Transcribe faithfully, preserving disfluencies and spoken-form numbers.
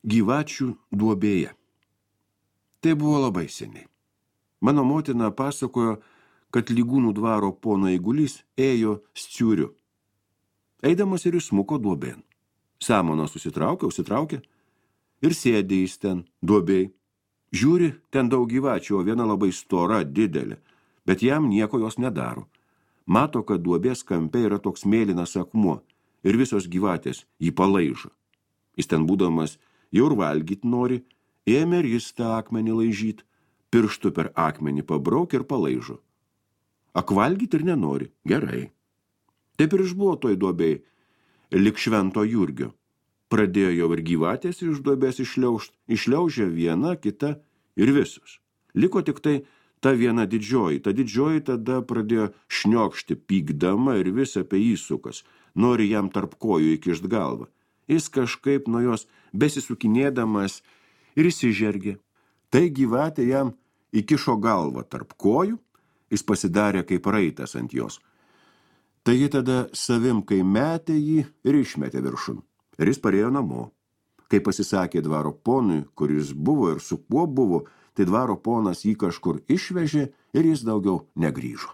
Gyvačių duobėje. Tai buvo labai seniai. Mano motina pasakojo, kad Lygūnų dvaro pono eigulys ėjo Sciuriu. Eidamas ir įsmuko duobėn. Samoną susitraukė, užsitraukė ir sėdė jis ten duobėj. Žiūri, ten daug gyvačių, o viena labai stora, didelė, bet jam nieko jos nedaro. Mato, kad duobės kampe yra toks mėlynas akmuo ir visos gyvatės jį palaižo. Jis ten būdamas jau ir valgyt nori, ėmė ir jis tą akmenį laižyt, pirštų per akmenį pabrauk ir palaižo. Akvalgyt ir nenori, gerai. Taip ir išbuvo toj duobėj, lik švento Jurgio. Pradėjo jau ir gyvatės iš duobės išliaužt, išliaužė viena, kita ir visos. Liko tik tai ta viena didžioji, ta didžioji tada pradėjo šniokšti, pykdama ir vis apie jį sukas, nori jam tarp kojų įkišt galvą. Jis kažkaip nuo jos besisukinėdamas ir įsižergė. Tai gyvatė jam įkišo galvą tarp kojų, jis pasidarė kaip raitas ant jos. Tai ji tada savim, kai metė jį ir išmetė viršun. Ir jis parėjo namo. Kai pasisakė dvaro ponui, kuris buvo ir su kuo buvo, tai dvaro ponas jį kažkur išvežė ir jis daugiau negrįžo.